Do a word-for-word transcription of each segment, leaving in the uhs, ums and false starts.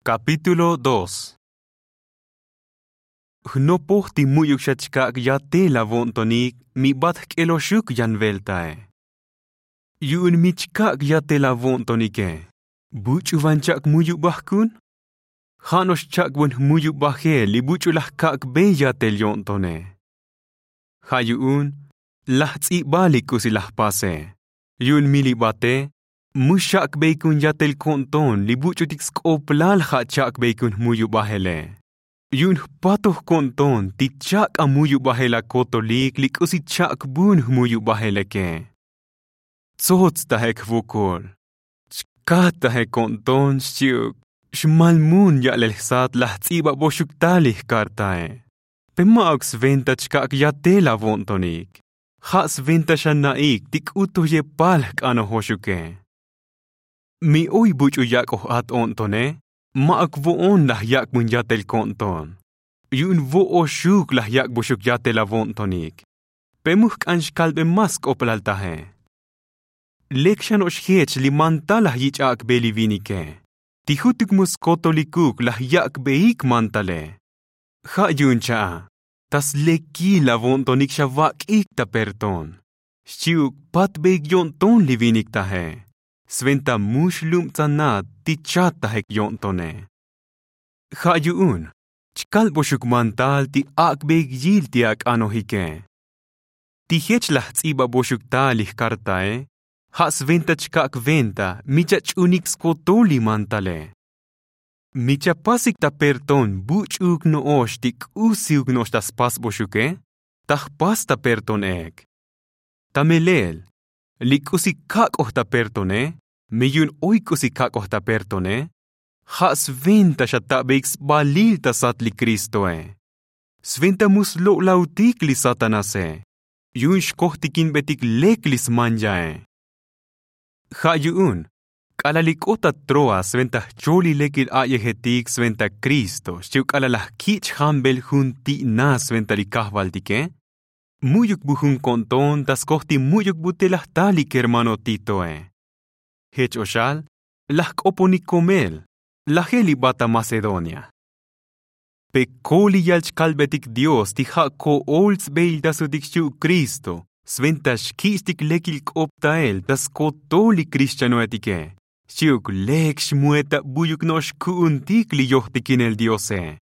Kapítulo dos. Jnopoj ti mu'yuk xa chkak' yatel avo'ntonik mi bat jk'eloxuk yan veltae. Yu'un mi chkak' yatel avo'ntonike, buch'u van chak' muyubaj kun? Ja' no'ox chak'bun jmuyubaje li buch'u laj kak'be yatel yo'ntone. Ja' yu'un laj ts'iba li k'usi laj pase. Yu'un mi li bate mu xak'beikun yatel ko'nton li buch'utik sk'oplal ja' chak'beikun jmuyubajele. Yu'un jpatoj ko'nton ti chak' amuyubajel akotolik li k'usi chak'bun jmuyubajel leke. Tsots taje jvokol, chkat taje ko'nton xchi'uk xmal mun ya'lel jsat laj ts'ibaboxuk tal li jkartae. Pe ma'uk sventa chkak' yatel avo'ntonik, ja' sventa xa na'ik ti k'u to yepal jk'anojoxuke. Mi oy buch'u yak'oj at o'ntone, ma'uk vo'on laj yak'bun yatel ko'nton. Yu'un vo'oxuk laj yak'boxuk yatel avo'ntonik. Pe mu jk'an xkalbe más sk'oplal taje. Lek xa no'ox jech li mantal laj yich' ak'be li vinike, ti jutuk mu skotolikuk laj yak'beik mantale. Ja' yu'un cha'a ta slekil avo'ntonik xa vak'ik ta perton, xchi'uk patbeik yo'nton li vinik taje. Sventa mu xlubtsanat ti chat tajik yo'ntone. Ja' yu'un chkalboxuk mantal ti ak'beik yil ti ak'anojike. Ti jech laj ts'ibaboxuk tal li jkartae, ja' sventa chkak' venta mi chach'unik skotol li mantale. Mi chapasik ta perton buch'uuk no'ox ti k'usiuk no'ox ta spasboxuke, ta jpas ta perton ek. Ta melel li k'usi kak'oj ta pertone, mi yu'un oy k'usi kak'oj ta pertone, ja' sventa xa tabeik sbalil ta sat li Cristoe. Sventa mu slo'lautik li Satanase, yu'un xkojtikinbetik lek li smanyae. Ja' yu'un k'alal li k'ot ta Troas sventa jchol li lekil a'yejetik sventa Cristo xchi'uk k'alal laj kich' jambel jun ti'na sventa li kajvaltike, mu'yuk bu jun ko'nton ta skoj ti mu'yuk bu te laj tal li kermano Titoe. Jech o xal laj k'oponik komel lajel li ba ta Macedonia. Pe koliyal chkalbetik Dios ti ja' ko'ol sbeiltasutik xchi'uk Cristo sventa xkich'tik lekil k'optael ta skotol li krixchanoetike, xchi'uk lek xmuet ta bu'yuk no'ox ku'untik li yojtikinel Diose.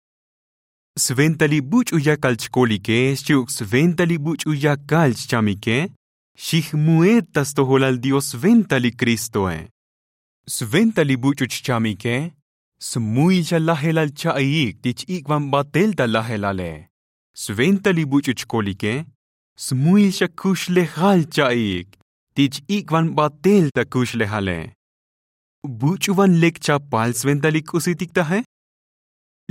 Sventa li buch'u yakal chkolike xchi'uk sventa li buch'u yakal chchamike, xijmuet ta stojolal Dios sventa li Cristoe. Sventa li buch'u chchamike smuil xa lajelal cha'iik ti ch-ik'van batel ta lajelale. Sventa li buch'u chkolike smuil xa kuxlejal cha'iik ti ch-ik'van batel ta kuxlejale. Buch'u van lek chapal sventa li k'usitik taje.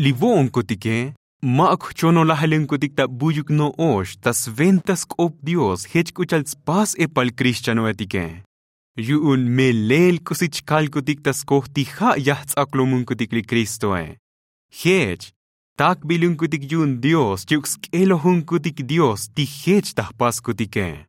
Li vo'onkutike ma'uk jchonolajelunkutik ta bu'yuk no'ox ta sventa sk'op Dios jech k'u cha'al tspas epal krixchanoetike. Yu'un melel k'usi chkalkutik ta skoj ti ja' yajts'aklomunkutik li Cristoe. Jech takbilunkutik yu'un Dios xchi'uk sk'elojunkutik Dios ti jech ta jpaskutike.